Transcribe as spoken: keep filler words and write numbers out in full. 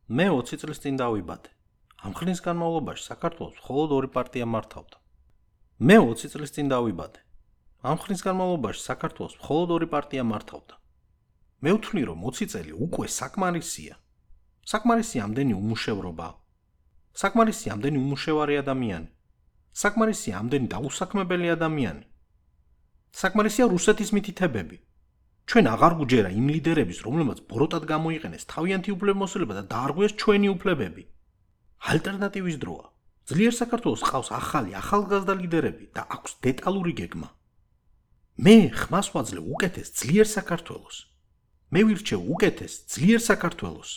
მე ოცი წლის წინ დავიბადე. ამ ხნის განმავლობაში საქართველოს მხოლოდ ორი პარტია მართავდა. მე ოცი წლის წინ დავიბადე. ამ ხნის განმავლობაში საქართველოს მხოლოდ ორი პარტია მართავდა. მე ვთვლი, რომ ოცი წელი უკვე საკმარისია. საკმარისია ამდენი უმუშევრობა. საკმარისია ამდენი უმუშევარი ადამიანი. საკმარისია ამდენი დაუსაქმებელი ადამიანი. საკმარისია რუსეთის მითითებები. ჩვენ აღარ გვჯერა იმ ლიდერების, რომლებმაც ბოროტად გამოიყენეს თავიანთი უფლებამოსილება და დაარღვიეს ჩვენი უფლებები. ალტერნატივის დროა. ძლიერ საქართველოს ყავს ახალი, ახალგაზრდა ლიდერები და აქვს დეტალური გეგმა. მე ხმას ვაძლევ უკეთეს ძლიერ საქართველოს. მე ვირჩევ უკეთეს ძლიერ საქართველოს.